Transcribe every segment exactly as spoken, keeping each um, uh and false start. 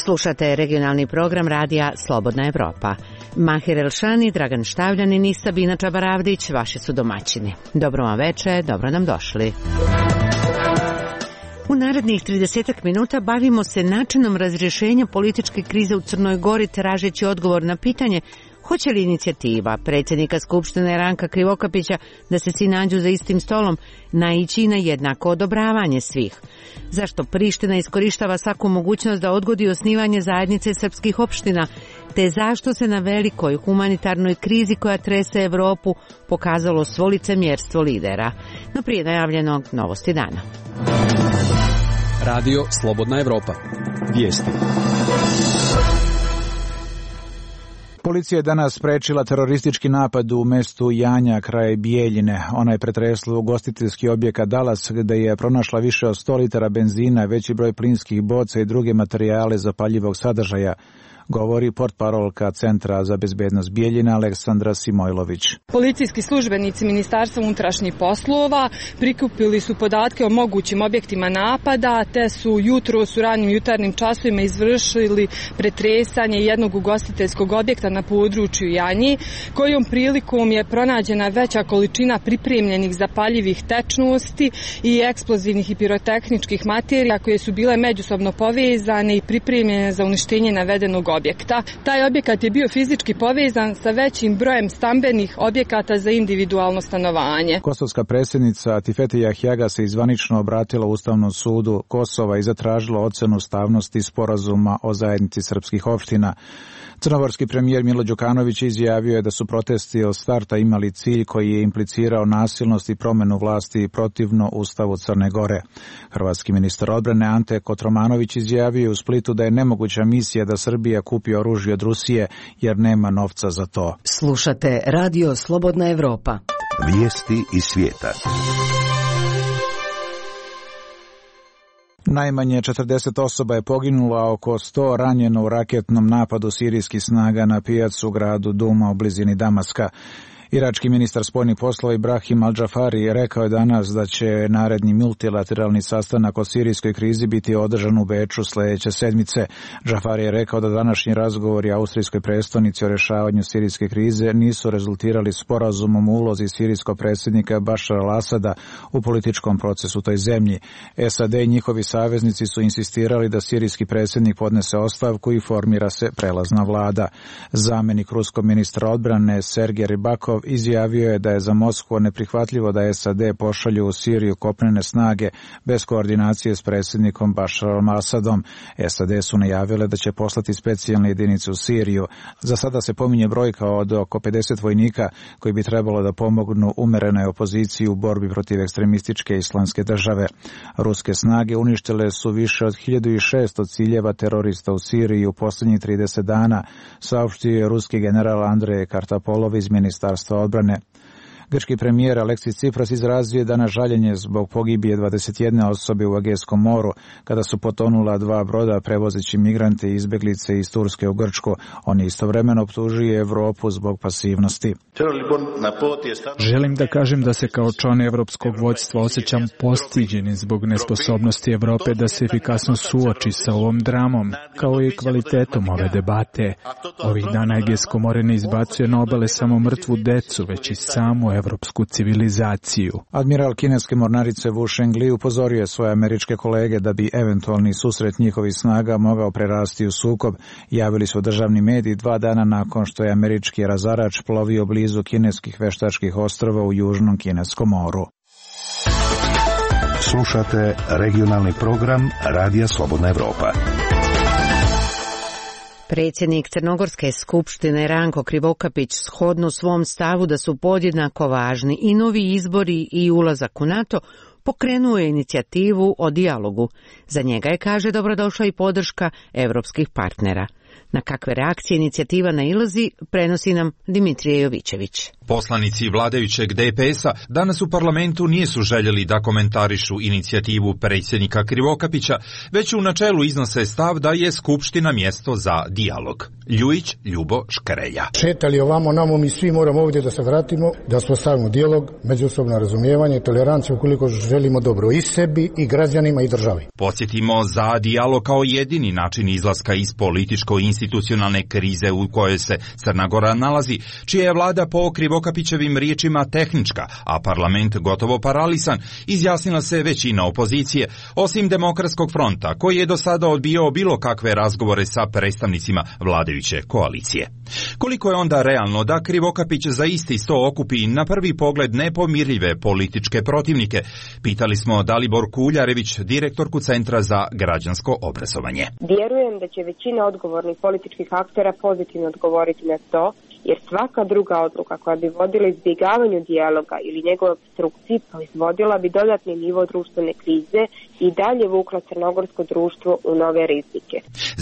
Slušate regionalni program radija Slobodna Evropa. Mahir Elšani, Dragan Štavljanin i Sabina Čabaravdić vaši su domaćini. Dobro vam veče, dobro nam došli. U narednih tridesetak minuta bavimo se načinom razrješenja političke krize u Crnoj Gori, tražeći odgovor na pitanje hoće li inicijativa predsjednika Skupštine Ranka Krivokapića da se svi nađu za istim stolom naići na jednako odobravanje svih. Zašto Priština iskorištava svaku mogućnost da odgodi osnivanje zajednice srpskih opština, te zašto se na velikoj humanitarnoj krizi koja trese Evropu pokazalo svo licemjerstvo lidera. No prije najavljenog novosti dana. Radio Slobodna Evropa. Vijesti. Policija je danas sprečila teroristički napad u mestu Janja kraj Bijeljine. Ona je pretresla ugostiteljski objekat Dalas gdje je pronašla više od sto litara benzina, veći broj plinskih boca i druge materijale zapaljivog sadržaja, govori portparolka Centra za bezbednost Bijeljina Aleksandra Simojlović. Policijski službenici Ministarstva unutrašnjih poslova prikupili su podatke o mogućim objektima napada, te su jutro u ranim jutarnjim časovima izvršili pretresanje jednog ugostiteljskog objekta na području Janji, kojom prilikom je pronađena veća količina pripremljenih zapaljivih tečnosti i eksplozivnih i pirotehničkih materija koje su bile međusobno povezane i pripremljene za uništenje navedenog objekta. objekta. Taj objekat je bio fizički povezan sa većim brojem stambenih objekata za individualno stanovanje. Kosovska predsjednica Atifete Jahjaga se izvanično obratila Ustavnom sudu Kosova i zatražila ocenu ustavnosti sporazuma o zajednici srpskih opština. Crnogorski premijer Milo Đukanović izjavio je da su protesti od starta imali cilj koji je implicirao nasilnost i promjenu vlasti protivno Ustavu Crne Gore. Hrvatski ministar odbrane Ante Kotromanović izjavio je u Splitu da je nemoguća misija da Srbija kupi oružje od Rusije jer nema novca za to. Slušate Radio Slobodna Evropa. Vijesti iz svijeta. Najmanje četrdeset osoba je poginulo, a oko sto ranjeno u raketnom napadu sirijskih snaga na pijacu u gradu Duma u blizini Damaska. Irački ministar spoljnih poslova Ibrahim Al-Džafari rekao je danas da će naredni multilateralni sastanak o sirijskoj krizi biti održan u Beču sljedeće sedmice. Džafari je rekao da današnji razgovori austrijskoj prestonici o rješavanju sirijske krize nisu rezultirali sporazumom o ulozi sirijskog predsjednika Bašara al-Asada u političkom procesu u toj zemlji. S A D i njihovi saveznici su insistirali da sirijski predsjednik podnese ostavku i formira se prelazna vlada. Zamjenik ruskog ministra odbrane Sergej Rybakov izjavio je da je za Moskvu neprihvatljivo da S A D pošalju u Siriju kopnene snage bez koordinacije s predsjednikom Bašarom Asadom. S A D su najavile da će poslati specijalne jedinice u Siriju. Za sada se pominje brojka od oko pedeset vojnika koji bi trebalo da pomognu umerenoj opoziciji u borbi protiv ekstremističke islamske države. Ruske snage uništile su više od hiljadu šesto ciljeva terorista u Siriji u posljednjih trideset dana, saopštio je ruski general Andrej Kartapolov iz Ministarstva odbrane. Grčki premijer Aleksis Tsipras izrazio je danas žaljenje zbog pogibije dvadeset jedne osobe u Egejskom moru kada su potonula dva broda prevozeći migrante i izbjeglice iz Turske u Grčku. On je istovremeno optužio Evropu zbog pasivnosti. Želim da kažem da se kao član evropskog vođstva osjećam postiđenim zbog nesposobnosti Evrope da se efikasno suoči sa ovom dramom, kao i kvalitetom ove debate. Ovih dana Egejsko more ne izbacuje na obale samo mrtvu decu, već i samu evropsku civilizaciju. Admiral kineske mornarice Wu Shengli upozorio je svoje američke kolege da bi eventualni susret njihovih snaga mogao prerasti u sukob. Javili su državni mediji dva dana nakon što je američki razarač plovio blizu kineskih veštačkih ostrva u Južnom kineskom moru. Slušate regionalni program Radija Slobodna Evropa. Predsjednik Crnogorske skupštine Ranko Krivokapić shodno svom stavu da su podjednako važni i novi izbori i ulazak u NATO, pokrenuo je inicijativu o dijalogu. Za njega je, kaže, dobrodošla i podrška evropskih partnera. Na kakve reakcije inicijativa nailazi, prenosi nam Dimitrije Jovićević. Poslanici vladajućeg D P S-a danas u parlamentu nisu željeli da komentarišu inicijativu predsjednika Krivokapića, već u načelu iznose stav da je Skupština mjesto za dijalog. Ljujić Ljubo Škrelja. Šetali ovamo namo, mi svi moramo ovdje da se vratimo, da uspostavimo dijalog, međusobno razumijevanje, toleranciju ukoliko želimo dobro i sebi, i građanima, i državi. Podsjetimo, za dijalog kao jedini način izlaska iz političko-institucionalne krize u kojoj se Crna Gora nalazi, čija je vlada po Krivokapićevim riječima tehnička, a parlament gotovo paralisan, izjasnila se većina opozicije, osim Demokratskog fronta, koji je do sada odbijao bilo kakve razgovore sa predstavnicima vladajuće koalicije. Koliko je onda realno da Krivokapić za isti sto okupi na prvi pogled nepomirljive političke protivnike? Pitali smo Daliborku Uljarević, direktorku Centra za građansko obrazovanje. Vjerujem da će većina odgovornih političkih aktera pozitivno odgovoriti na to, jer svaka druga odluka koja bi vodila izbjegavanju dijaloga ili njegove obstrukciji proizvodila bi dodatni nivo društvene krize i dalje vukla crnogorsko društvo u nove rizike.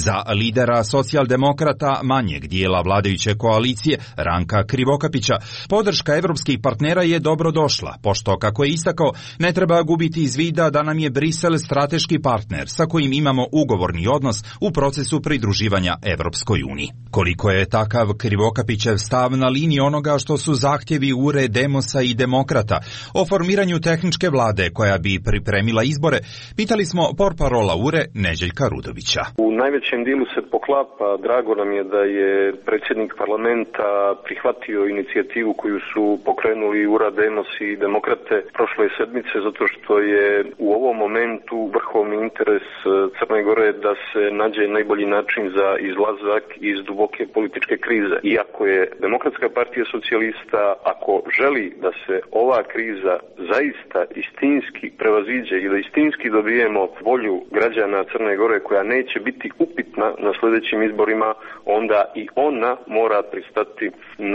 Za lidera socijaldemokrata manjeg dijela vladajuće koalicije, Ranka Krivokapića, podrška evropskih partnera je dobro došla, pošto, kako je istakao, ne treba gubiti iz vida da nam je Brisel strateški partner sa kojim imamo ugovorni odnos u procesu pridruživanja Evropskoj uniji. Koliko je takav Krivokapićev stav na liniji onoga što su zahtjevi U R E, Demosa i Demokrata o formiranju tehničke vlade koja bi pripremila izbore, pitali smo portparola U R E Neđeljka Rudovića. U najvećem dijelu se poklapa, drago nam je da je predsjednik parlamenta prihvatio inicijativu koju su pokrenuli U R A, Demos i Demokrate prošle sedmice, zato što je u ovom momentu vrhovni interes Crne Gore da se nađe najbolji način za izlazak iz duboke političke krize. Iako je Demokratska partija socijalista, ako želi da se ova kriza zaista istinski prevaziđe i da istinski dobijemo volju građana Crne Gore koja neće biti upitna na sljedećim izborima, onda i ona mora pristati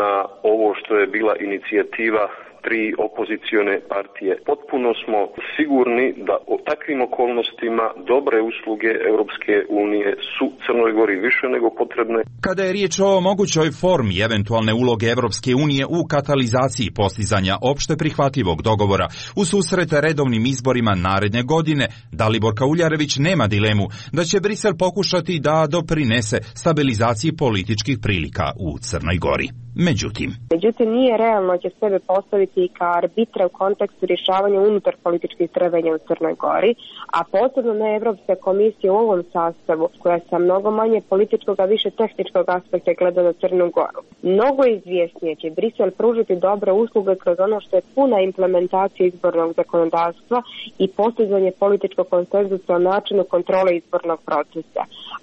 na ovo što je bila inicijativa tri opozicione partije. Potpuno smo sigurni da o takvim okolnostima dobre usluge Europske unije su Crnoj Gori više nego potrebne. Kada je riječ o mogućoj formi eventualne uloge Europske unije u katalizaciji postizanja opšte prihvatljivog dogovora u susret redovnim izborima naredne godine, Daliborka Uljarević nema dilemu da će Brisel pokušati da doprinese stabilizaciji političkih prilika u Crnoj Gori. Međutim, Međutim, nije realno će sebe postaviti kao arbitra u kontekstu rješavanja unutar političkih trvenja u Crnoj Gori, a posebno ne Evropska komisija u ovom sastavu, koja sa mnogo manje političkog, a više tehničkog aspekta gleda na Crnu Goru. Mnogo izvjesnije će Brisel pružiti dobre usluge kroz ono što je puna implementacija izbornog zakonodavstva i postizanje političkog konsenzusa o načinu kontrole izbornog procesa.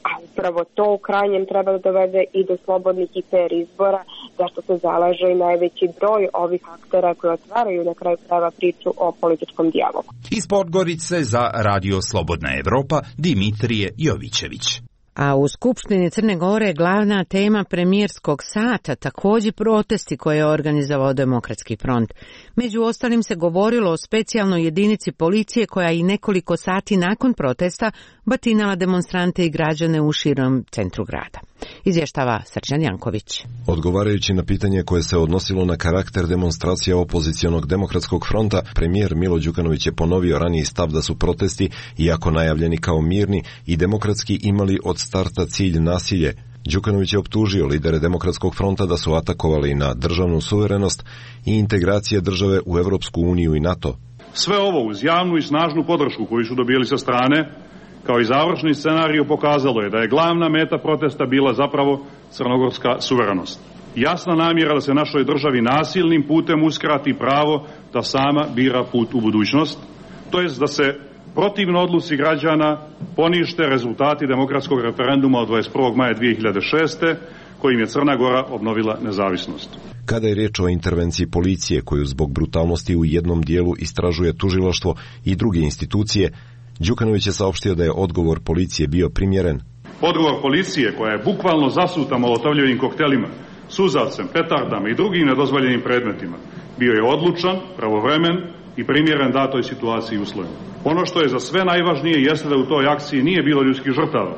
A upravo to u krajnjem treba da dovede i do slobodnih i fer izbora, zašto se zalaže i najveći broj ovih aktera koji otvaraju na kraju krajeva priču o političkom dijalogu. Iz Podgorice za Radio Slobodna Evropa, Dimitrije Jovićević. A u Skupštini Crne Gore glavna tema premijerskog sata također protesti koje je organizovao Demokratski front. Među ostalim se govorilo o specijalnoj jedinici policije koja i nekoliko sati nakon protesta batinala demonstrante i građane u širom centru grada. Izvještava Srđan Janković. Odgovarajući na pitanje koje se odnosilo na karakter demonstracija opozicionog Demokratskog fronta, premijer Milo Đukanović je ponovio raniji stav da su protesti, iako najavljeni kao mirni i demokratski, imali od starta cilj nasilje. Đukanović je optužio lidere Demokratskog fronta da su atakovali na državnu suverenost i integracije države u Evropsku uniju i NATO. Sve ovo uz javnu i snažnu podršku koju su dobili sa strane, kao i završni scenarij, pokazalo je da je glavna meta protesta bila zapravo crnogorska suverenost. Jasna namjera da se našoj državi nasilnim putem uskrati pravo da sama bira put u budućnost, to jest da se protivno odluci građana ponište rezultati demokratskog referenduma od dvadeset prvog maja dvije hiljade šeste. kojim je Crna Gora obnovila nezavisnost. Kada je riječ o intervenciji policije koju zbog brutalnosti u jednom dijelu istražuje tužilaštvo i druge institucije, Đukanović je saopštio da je odgovor policije bio primjeren. Odgovor policije, koja je bukvalno zasuta molotovljevim koktelima, suzavcem, petardama i drugim nedozvoljenim predmetima, bio je odlučan, pravovremen i primjeren datoj situaciji i uslovima. Ono što je za sve najvažnije jeste da u toj akciji nije bilo ljudskih žrtava,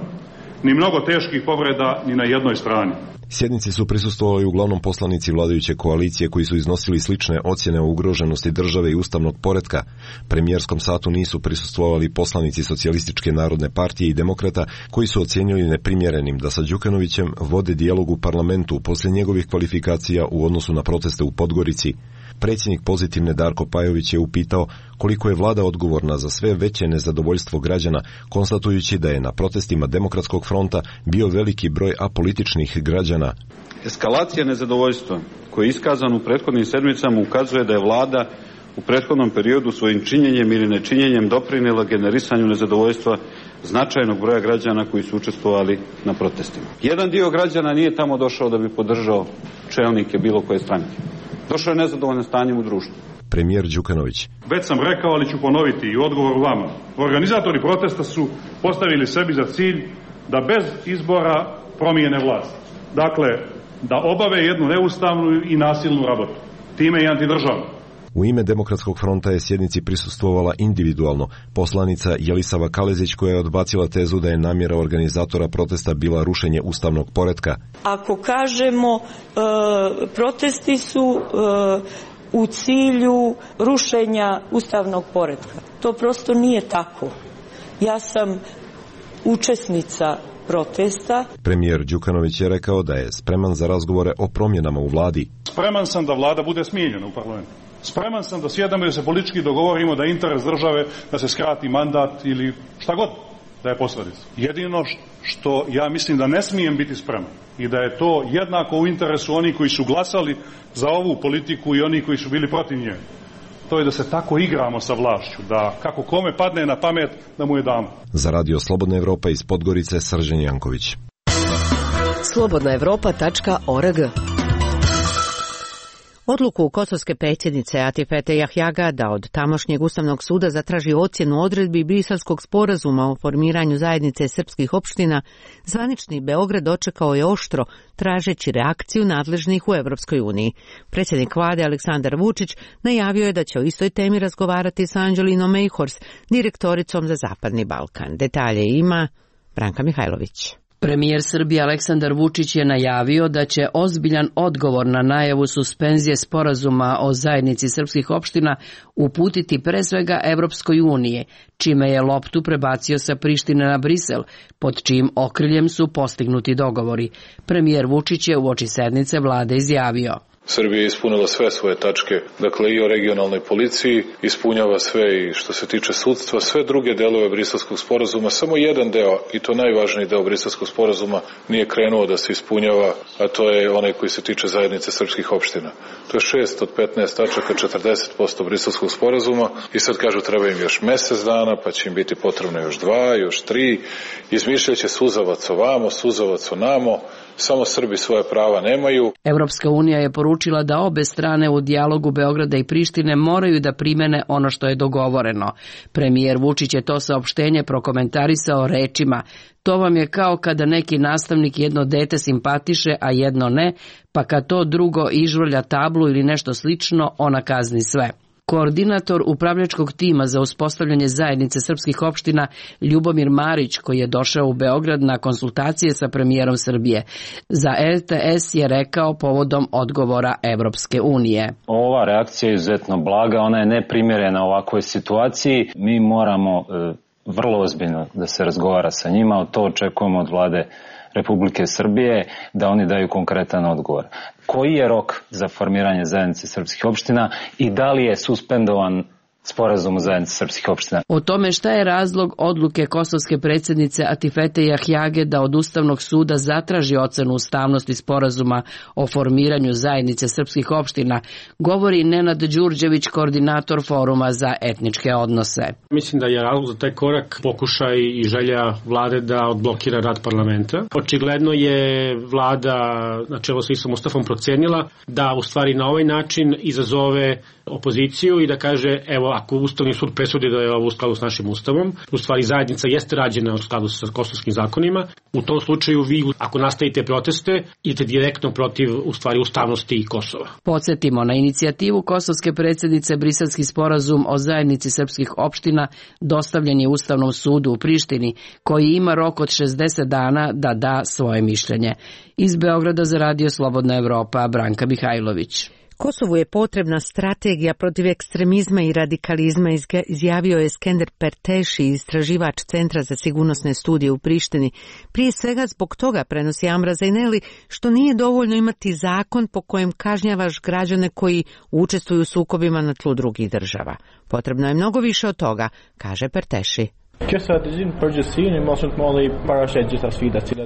ni mnogo teških povreda ni na jednoj strani. Sjednici su prisustvovali uglavnom poslanici vladajuće koalicije koji su iznosili slične ocjene o ugroženosti države i ustavnog poretka. Premijerskom satu nisu prisustvovali poslanici Socijalističke narodne partije i Demokrata koji su ocjenjili neprimjerenim da sa Đukanovićem vode dijalog u parlamentu poslije njegovih kvalifikacija u odnosu na proteste u Podgorici. Predsjednik Pozitivne Darko Pajović je upitao koliko je vlada odgovorna za sve veće nezadovoljstvo građana, konstatujući da je na protestima Demokratskog fronta bio veliki broj apolitičnih građana. Eskalacija nezadovoljstva koja je iskazana u prethodnim sedmicama ukazuje da je vlada u prethodnom periodu svojim činjenjem ili nečinjenjem doprinijela generisanju nezadovoljstva značajnog broja građana koji su učestvovali na protestima. Jedan dio građana nije tamo došao da bi podržao čelnike bilo koje stranke. Došao je nezadovoljan stanjem u društvu. Premijer Đukanović. Već sam rekao, ali ću ponoviti i odgovor vama. Organizatori protesta su postavili sebi za cilj da bez izbora promijene vlast. Dakle, da obave jednu neustavnu i nasilnu rabotu. Time i antidržavnu. U ime Demokratskog fronta je sjednici prisustvovala individualno poslanica Jelisava Kalezić koja je odbacila tezu da je namjera organizatora protesta bila rušenje ustavnog poretka. Ako kažemo e, protesti su e, u cilju rušenja ustavnog poretka, to prosto nije tako. Ja sam učesnica protesta. Premijer Đukanović je rekao da je spreman za razgovore o promjenama u vladi. Spreman sam da vlada bude smijenjena u parlamentu. Spreman sam da sjedamo i da se politički dogovorimo da je interes države da se skrati mandat ili šta god da je posledica. Jedino što ja mislim da ne smijem biti spreman i da je to jednako u interesu onih koji su glasali za ovu politiku i oni koji su bili protiv nje. To je da se tako igramo sa vlašću, da kako kome padne na pamet da mu je damo. Za Radio Slobodna Evropa iz Podgorice, Srđan Janković. slobodna evropa tačka org. Odluku kosovske predsjednice Atifete Jahjaga da od tamošnjeg Ustavnog suda zatraži ocjenu odredbi Briselskog sporazuma o formiranju zajednice srpskih opština, zvanični Beograd dočekao je oštro, tražeći reakciju nadležnih u Evropskoj uniji. Predsjednik vlade Aleksandar Vučić najavio je da će o istoj temi razgovarati sa Anđelinom Mejhors, direktoricom za Zapadni Balkan. Detalje ima Branka Mihajlović. Premijer Srbije Aleksandar Vučić je najavio da će ozbiljan odgovor na najavu suspenzije sporazuma o zajednici srpskih opština uputiti pre svega Evropskoj unije, čime je loptu prebacio sa Prištine na Brisel, pod čijim okriljem su postignuti dogovori. Premijer Vučić je uoči sednice vlade izjavio: Srbija je ispunila sve svoje tačke, dakle i o regionalnoj policiji, ispunjava sve i što se tiče sudstva, sve druge delove Briselskog sporazuma, samo jedan deo, i to najvažniji deo Briselskog sporazuma, nije krenuo da se ispunjava, a to je onaj koji se tiče zajednice srpskih opština. To je šest od petnaest tačaka, četrdeset posto Briselskog sporazuma i sad kažu treba im još mesec dana, pa će im biti potrebno još dva, još tri, izmišljaće suzavac ovamo, suzavac onamo, samo Srbi svoje prava nemaju. Evropska unija je poručila da obe strane u dijalogu Beograda i Prištine moraju da primene ono što je dogovoreno. Premijer Vučić je to saopštenje prokomentarisao rečima: to vam je kao kada neki nastavnik jedno dete simpatiše, a jedno ne, pa kad to drugo ižvrlja tablu ili nešto slično, ona kazni sve. Koordinator upravljačkog tima za uspostavljanje zajednice srpskih opština Ljubomir Marić, koji je došao u Beograd na konsultacije sa premijerom Srbije, za R T S je rekao povodom odgovora Evropske unije. Ova reakcija je izuzetno blaga, ona je neprimjerena ovakvoj situaciji. Mi moramo e, vrlo ozbiljno da se razgovara sa njima, to očekujemo od vlade Republike Srbije, da oni daju konkretan odgovor. Koji je rok za formiranje zajednice srpskih opština i da li je suspendovan sporazum o zajednici srpskih opština? O tome šta je razlog odluke kosovske predsjednice Atifete Jahjage da od Ustavnog suda zatraži ocenu ustavnosti sporazuma o formiranju zajednice srpskih opština, govori Nenad Đurđević, koordinator Foruma za etničke odnose. Mislim da je razlog za taj korak pokušaj i želja vlade da odblokira rad parlamenta. Očigledno je vlada na čelu sa Istom Mustafom procenila da u stvari na ovaj način izazove opoziciju i da kaže, evo, ako Ustavni sud presudi da je ovo u skladu s našim Ustavom, u stvari zajednica jeste rađena u skladu sa kosovskim zakonima, u tom slučaju vi, ako nastavite proteste, idete direktno protiv, u stvari, ustavnosti Kosova. Podsjetimo na inicijativu kosovske predsjednice Briselski sporazum o zajednici srpskih opština dostavljen je Ustavnom sudu u Prištini, koji ima rok od šezdeset dana da da svoje mišljenje. Iz Beograda za Radio Slobodna Evropa, Branka Mihajlović. Kosovu je potrebna strategija protiv ekstremizma i radikalizma, izjavio je Skender Perteši, istraživač Centra za sigurnosne studije u Prištini. Prije svega zbog toga, prenosi Amra Zajneli, što nije dovoljno imati zakon po kojem kažnjavaš građane koji učestvuju u sukobima na tlu drugih država. Potrebno je mnogo više od toga, kaže Perteši.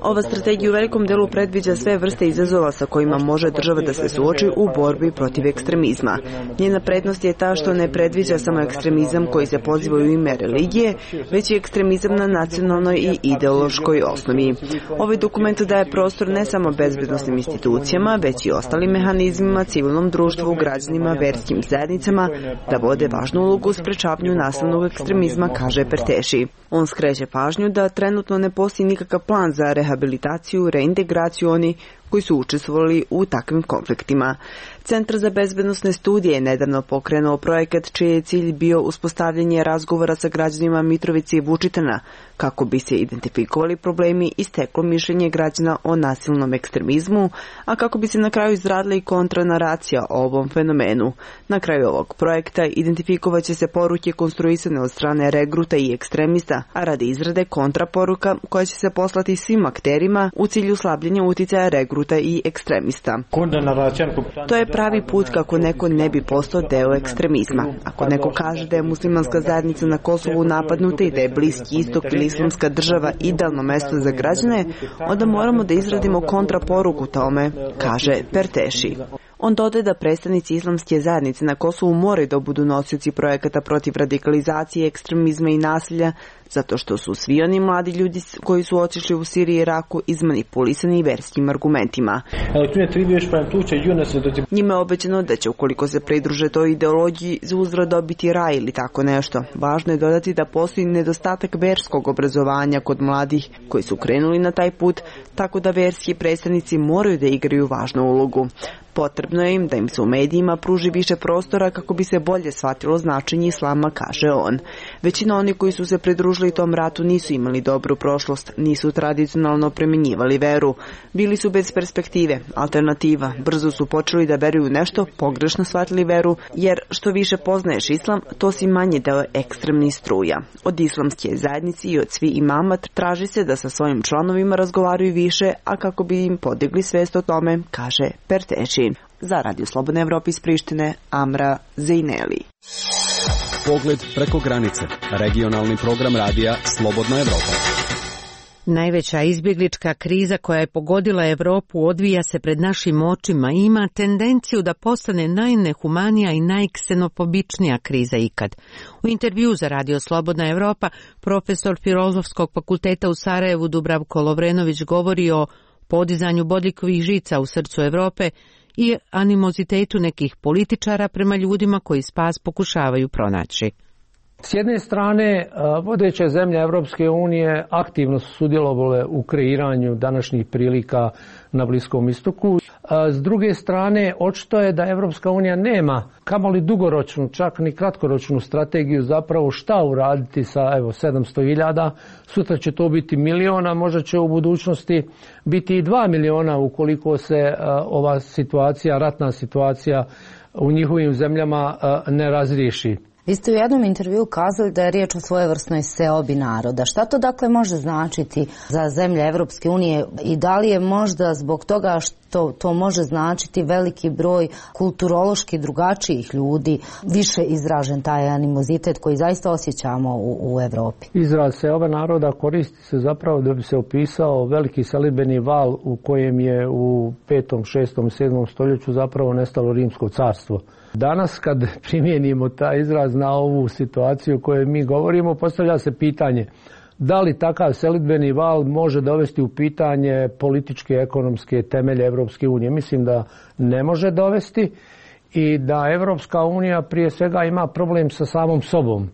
Ova strategija u velikom delu predviđa sve vrste izazova sa kojima može država da se suoči u borbi protiv ekstremizma. Njena prednost je ta što ne predviđa samo ekstremizam koji se poziva u ime religije, već i ekstremizam na nacionalnoj i ideološkoj osnovi. Ovaj dokument daje prostor ne samo bezbednosnim institucijama, već i ostalim mehanizmima, civilnom društvu, građanima, verskim zajednicama, da vode važnu ulogu u sprečavanju nasilnog ekstremizma, kaže Perteši. On skreće pažnju da trenutno ne postoji nikakav plan za rehabilitaciju, reintegraciju oni koji su učestvovali u takvim konfliktima. Centar za bezbednosne studije je nedavno pokrenuo projekat čiji je cilj bio uspostavljanje razgovora sa građanima Mitrovice i Vučitana kako bi se identifikovali problemi i steklo mišljenje građana o nasilnom ekstremizmu, a kako bi se na kraju izradila i kontranaracija o ovom fenomenu. Na kraju ovog projekta identifikovat će se poruke konstruisane od strane regruta i ekstremista, a radi izrade kontraporuka koja će se poslati svim akterima u cilju slabljenja uticaja regruta i ekstremista. To je pravi put kako neko ne bi postao deo ekstremizma. Ako neko kaže da je muslimanska zajednica na Kosovu napadnuta i da je Bliski istok ili islamska država idealno mesto za građane, onda moramo da izradimo kontraporuku tome, kaže Perteši. On dodaje da predstavnici islamske zajednice na Kosovu moraju da budu nosioci projekata protiv radikalizacije, ekstremizma i nasilja, zato što su svi oni mladi ljudi koji su otišli u Siriju i Iraku izmanipulisani verskim argumentima. Njima je obećano da će, ukoliko se pridruže toj ideologiji, za uzvrat dobiti raj ili tako nešto. Važno je dodati da postoji nedostatak verskog obrazovanja kod mladih koji su krenuli na taj put, tako da verski predstavnici moraju da igraju važnu ulogu. Potrebno je im da im se u medijima pruži više prostora kako bi se bolje shvatilo značenje islama, kaže on. Većina onih koji su se pridružili tom ratu nisu imali dobru prošlost, nisu tradicionalno premenjivali veru. Bili su bez perspektive, alternativa. Brzo su počeli da veruju nešto, pogrešno shvatili veru, jer što više poznaješ islam, to si manje deo ekstremnih struja. Od islamske zajednice i od svi imama traži se da sa svojim članovima razgovaraju više, a kako bi im podigli svest o tome, kaže Perteši. Za Radio Slobodne Evrope iz Prištine, Amra Zajneli. Pogled preko granice. Regionalni program radija Slobodna Evropa. Najveća izbjeglička kriza koja je pogodila Evropu odvija se pred našim očima i ima tendenciju da postane najnehumanija i najksenofobičnija kriza ikad. U intervju za Radio Slobodna Evropa profesor Filozofskog fakulteta u Sarajevu Dubravko Lovrenović govori o podizanju bodljikovih žica u srcu Evrope i animozitetu nekih političara prema ljudima koji spas pokušavaju pronaći. S jedne strane, vodeće zemlje Evropske unije aktivno su sudjelovale u kreiranju današnjih prilika na Bliskom istoku. S druge strane, očito je da Evropska unija nema kamoli dugoročnu, čak ni kratkoročnu strategiju zapravo šta uraditi sa evo sedamsto hiljada. Sutra će to biti miliona, možda će u budućnosti biti i dva miliona ukoliko se ova situacija, ratna situacija u njihovim zemljama ne razriješi. Vi ste u jednom intervjuu kazali da je riječ o svojevrsnoj seobi naroda. Šta to dakle može značiti za zemlje Evropske unije i da li je možda zbog toga što to može značiti veliki broj kulturološki drugačijih ljudi više izražen taj animozitet koji zaista osjećamo u, u Evropi? Izraz seoba naroda koristi se zapravo da bi se opisao veliki selidbeni val u kojem je u petom, šestom, sedmom stoljeću zapravo nestalo Rimsko carstvo. Danas kad primijenimo taj izraz na ovu situaciju o kojoj mi govorimo, postavlja se pitanje da li takav selidbeni val može dovesti u pitanje političke, ekonomske temelje Evropske unije. Mislim da ne može dovesti i da Evropska unija prije svega ima problem sa samom sobom.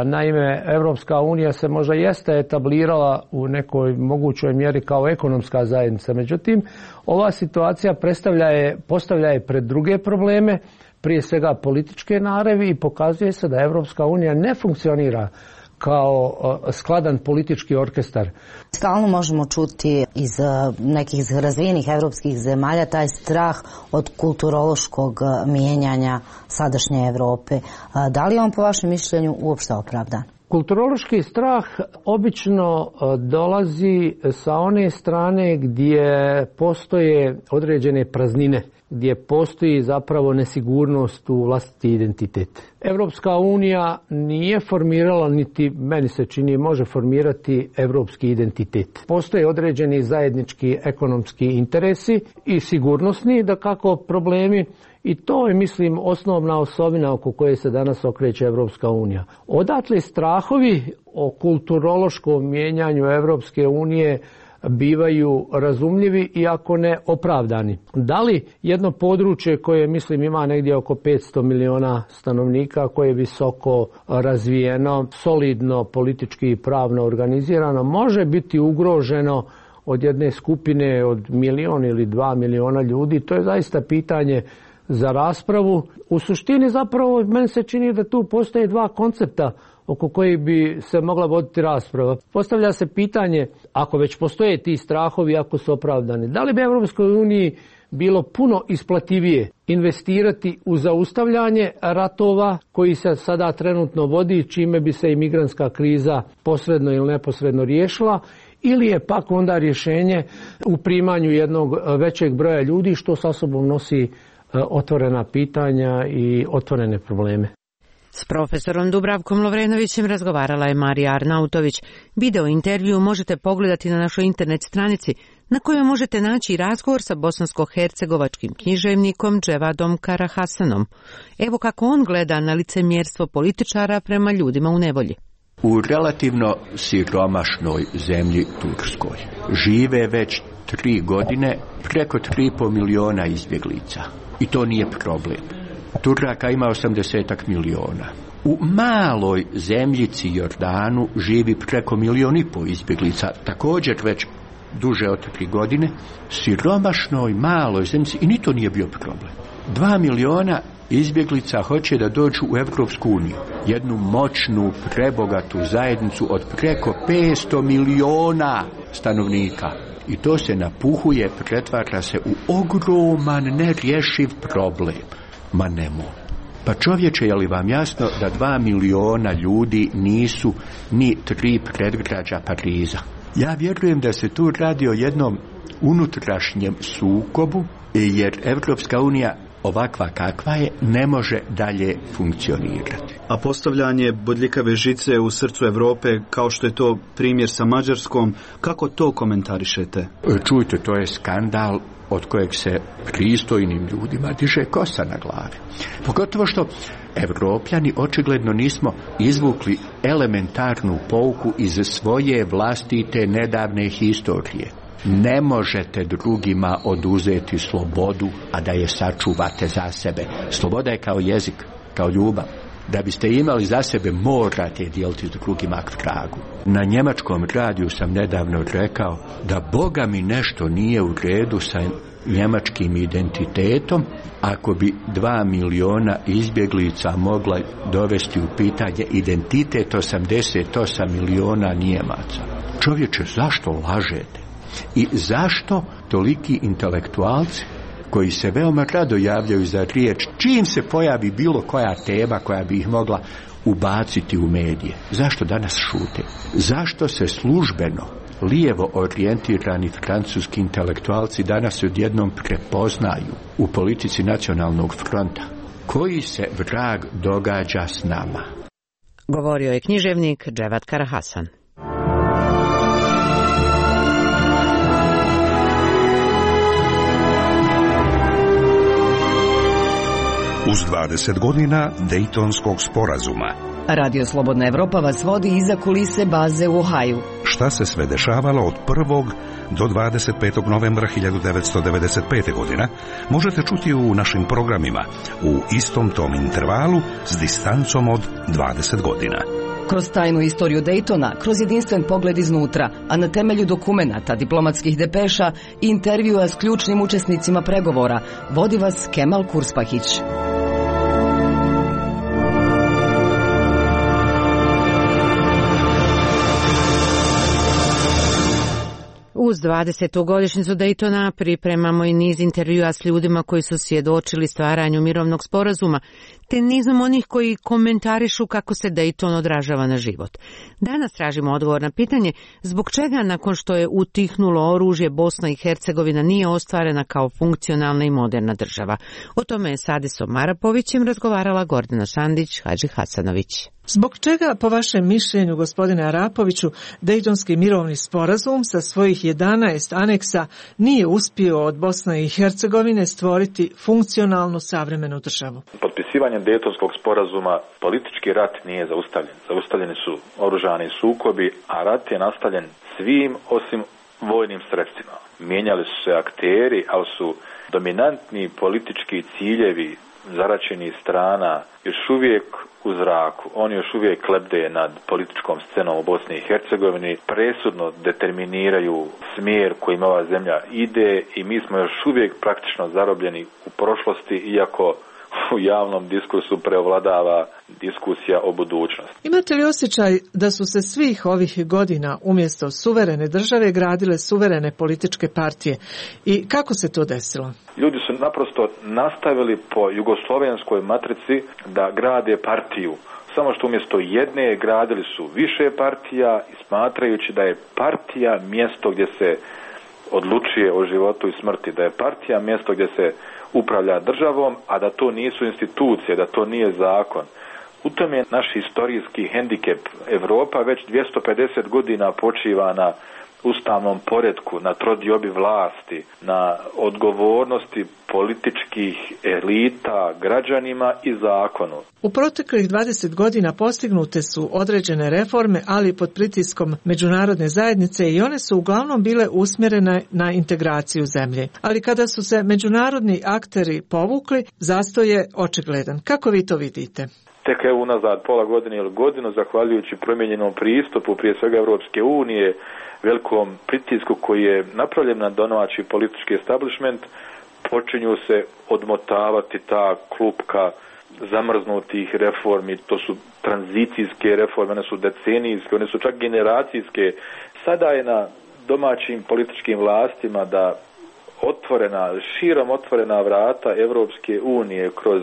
Naime, Evropska unija se možda jeste etablirala u nekoj mogućoj mjeri kao ekonomska zajednica. Međutim, ova situacija predstavlja je, postavlja je pred druge probleme, prije svega političke naravi, i pokazuje se da Evropska unija ne funkcionira kao skladan politički orkestar. Stalno možemo čuti iz nekih razvijenih evropskih zemalja taj strah od kulturološkog mijenjanja sadašnje Evrope. Da li je on po vašem mišljenju uopšte opravdan? Kulturološki strah obično dolazi sa one strane gdje postoje određene praznine, gdje postoji zapravo nesigurnost u vlastiti identitet. Evropska unija nije formirala, niti meni se čini može formirati evropski identitet. Postoje određeni zajednički ekonomski interesi i sigurnosni, da kako problemi, i to je, mislim, osnovna osobina oko koje se danas okreće Evropska unija. Odatle strahovi o kulturološkom mijenjanju Evropske unije bivaju razumljivi, iako ne opravdani. Da li jedno područje koje, mislim, ima negdje oko petsto miliona stanovnika, koje je visoko razvijeno, solidno, politički i pravno organizirano, može biti ugroženo od jedne skupine od milion ili dva miliona ljudi? To je zaista pitanje za raspravu. U suštini zapravo meni se čini da tu postoje dva koncepta oko kojih bi se mogla voditi rasprava. Postavlja se pitanje, ako već postoje ti strahovi, ako su opravdani, da li bi Evropskoj uniji bilo puno isplativije investirati u zaustavljanje ratova koji se sada trenutno vodi, čime bi se imigrantska kriza posredno ili neposredno riješila, ili je pak onda rješenje u primanju jednog većeg broja ljudi, što sa sobom nosi otvorena pitanja i otvorene probleme. S profesorom Dubravkom Lovrenovićem razgovarala je Marija Arnautović. Video intervju možete pogledati na našoj internet stranici, na kojoj možete naći razgovor sa bosansko-hercegovačkim književnikom Dževadom Karahasanom. Evo kako on gleda na licemjerstvo političara prema ljudima u nevolji. U relativno siromašnoj zemlji Turskoj žive već tri godine preko tri i po miliona izbjeglica. I to nije problem. Turaka ima osamdeset miliona. U maloj zemljici Jordanu živi preko milion i pol izbjeglica, također već duže od tri godine, siromašnoj maloj zemljici, i ni to nije bio problem. Dva miliona izbjeglica hoće da dođu u Evropsku uniju, jednu moćnu, prebogatu zajednicu od preko petsto miliona stanovnika. I to se napuhuje, pretvara se u ogroman, nerješiv problem. Ma nemoj. Pa čovječe, je li vam jasno da dva miliona ljudi nisu ni tri predgrađa Pariza? Ja vjerujem da se tu radi o jednom unutrašnjem sukobu, jer Evropska unija ovakva kakva je ne može dalje funkcionirati. A postavljanje bodljikave žice u srcu Europe, kao što je to primjer sa Mađarskom, kako to komentarišete? Čujte, to je skandal od kojeg se pristojnim ljudima diže kosa na glavi. Pogotovo što Evropljani očigledno nismo izvukli elementarnu pouku iz svoje vlastite nedavne historije. Ne možete drugima oduzeti slobodu, a da je sačuvate za sebe. Sloboda je kao jezik, kao ljubav. Da biste imali za sebe, morate dijeliti s drugima k tragu. Na njemačkom radiju sam nedavno rekao da Boga mi nešto nije u redu sa njemačkim identitetom ako bi dva miliona izbjeglica mogla dovesti u pitanje identitet osamdeset osam miliona Njemaca. Čovječe, zašto lažete? I zašto toliki intelektualci koji se veoma rado javljaju za riječ čim se pojavi bilo koja tema koja bi ih mogla ubaciti u medije? Zašto danas šute? Zašto se službeno lijevo orijentirani francuski intelektualci danas odjednom prepoznaju u politici nacionalnog fronta? Koji se vrag događa s nama? Govorio je književnik Dževad Karahasan. Uz dvadeset godina Dejtonskog sporazuma. Radio Slobodna Evropa vas vodi iza kulise baze u Ohaju. Šta se sve dešavalo od prvog do dvadeset petog novembra hiljadu devetsto devedeset pete. godine možete čuti u našim programima u istom tom intervalu s distancom od dvadeset godina. Kroz tajnu istoriju Daytona, kroz jedinstven pogled iznutra, a na temelju dokumenata, diplomatskih depeša i intervjua s ključnim učesnicima pregovora, vodi vas Kemal Kurspahić. Uz dvadesetu godišnjicu Daytona pripremamo i niz intervjua s ljudima koji su svjedočili stvaranju mirovnog sporazuma, te nizom onih koji komentarišu kako se Dayton odražava na život. Danas tražimo odgovor na pitanje zbog čega nakon što je utihnulo oružje Bosna i Hercegovina nije ostvarena kao funkcionalna i moderna država. O tome je s Adisom Arapovićem razgovarala Gordana Sandić, Hadži Hasanović. Zbog čega, po vašem mišljenju, gospodine Arapoviću, Dejtonski mirovni sporazum sa svojih jedanaest aneksa nije uspio od Bosne i Hercegovine stvoriti funkcionalnu savremenu državu? Potpisivanjem Dejtonskog sporazuma politički rat nije zaustavljen. Zaustavljeni su oružani sukobi, a rat je nastavljen svim osim vojnim sredstvima. Mijenjali su se akteri, ali su dominantni politički ciljevi zaračenih strana još uvijek u zraku. Oni još uvijek lebde nad političkom scenom u Bosni i Hercegovini, presudno determiniraju smjer kojim ova zemlja ide i mi smo još uvijek praktično zarobljeni u prošlosti, iako u javnom diskursu preovladava diskusija o budućnosti. Imate li osjećaj da su se svih ovih godina umjesto suverene države gradile suverene političke partije i kako se to desilo? Ljudi su naprosto nastavili po jugoslovenskoj matrici da grade partiju. Samo što umjesto jedne gradili su više partija i smatrajući da je partija mjesto gdje se odlučuje o životu i smrti, da je partija mjesto gdje se upravlja državom, a da to nisu institucije, da to nije zakon. U tom je naš historijski hendikep. Evropa već dvjesto pedeset godina počiva na ustavnom poretku, na trodiobi vlasti, na odgovornosti političkih elita građanima i zakonu. U proteklih dvadeset godina postignute su određene reforme, ali pod pritiskom međunarodne zajednice i one su uglavnom bile usmjerene na integraciju zemlje. Ali kada su se međunarodni akteri povukli, zastoj je očigledan. Kako vi to vidite? Tek evo unazad pola godine ili godinu, zahvaljujući promijenjenom pristupu, prije svega Europske unije, velikom pritisku koji je napravljen na domaći politički establishment, počinju se odmotavati ta klupka zamrznutih reformi. To su tranzicijske reforme, one su decenijske, one su čak generacijske. Sada je na domaćim političkim vlastima da otvorena, širom otvorena vrata Europske unije kroz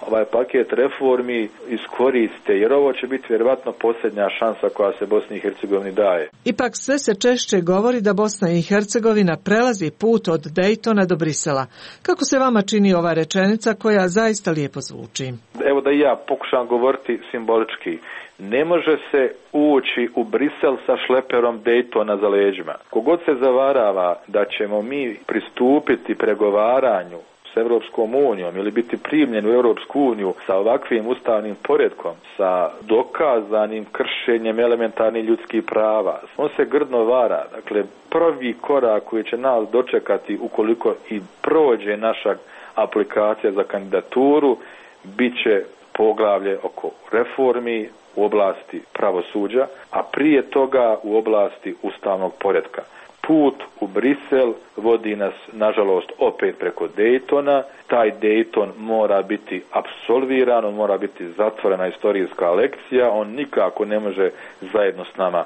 ovaj paket reformi iskoriste, jer ovo će biti vjerovatno posljednja šansa koja se Bosni i Hercegovini daje. Ipak sve se češće govori da Bosna i Hercegovina prelazi put od Dejtona do Brisela. Kako se vama čini ova rečenica koja zaista lijepo zvuči? Evo da i ja pokušam govoriti simbolički. Ne može se ući u Brisel sa šleperom Dejtona za leđima. Kogod se zavarava da ćemo mi pristupiti pregovaranju s Europskom unijom ili biti primljen u Europsku uniju sa ovakvim ustavnim poretkom, sa dokazanim kršenjem elementarnih ljudskih prava, on se grdno vara. Dakle, prvi korak koji će nas dočekati ukoliko i prođe naša aplikacija za kandidaturu, bit će poglavlje oko reformi u oblasti pravosuđa, a prije toga u oblasti ustavnog poretka. Put u Brisel vodi nas, nažalost, opet preko Dejtona. Taj Dejton mora biti apsolviran, on mora biti zatvorena istorijska lekcija, on nikako ne može zajedno s nama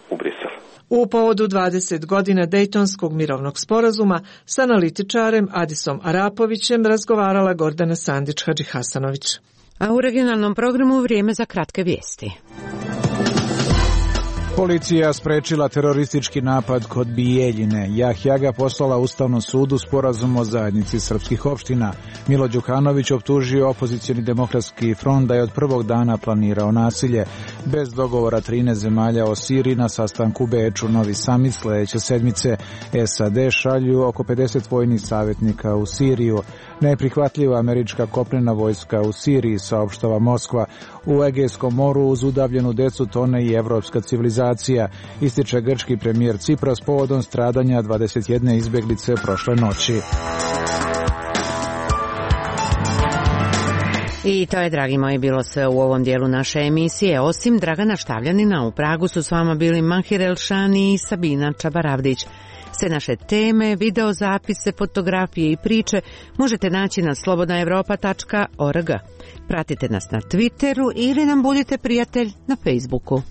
u Brisel. U povodu dvadeset godina Dejtonskog mirovnog sporazuma s analitičarem Adisom Arapovićem razgovarala Gordana Sandić Hadži Hasanović. A u regionalnom programu vrijeme za kratke vijesti. Policija sprečila teroristički napad kod Bijeljine. Jahjaga poslala Ustavnom sudu sporazum o zajednici srpskih opština. Milo Đukanović optužio opozicioni demokratski front da je od prvog dana planirao nasilje. Bez dogovora trinaest zemalja o Siriji na sastanku u Beču. Novi samit sljedeće sedmice. S A D šalju oko pedeset vojnih savjetnika u Siriju. Neprihvatljiva američka kopnena vojska u Siriji, saopštava Moskva. U Egejskom moru uz udavljenu decu tone i evropska civilizacija. migracija, ističe grčki premijer Cipras povodom stradanja dvadeset jedne izbjeglice prošle noći. I to je, dragi moji, bilo sve u ovom dijelu naše emisije. Osim Dragana Štavljanina, u Pragu su s vama bili Mahir Elšani i Sabina Čabaravdić. Sve naše teme, videozapise, fotografije i priče možete naći na slobodna evropa tačka org. Pratite nas na Twitteru ili nam budite prijatelj na Facebooku.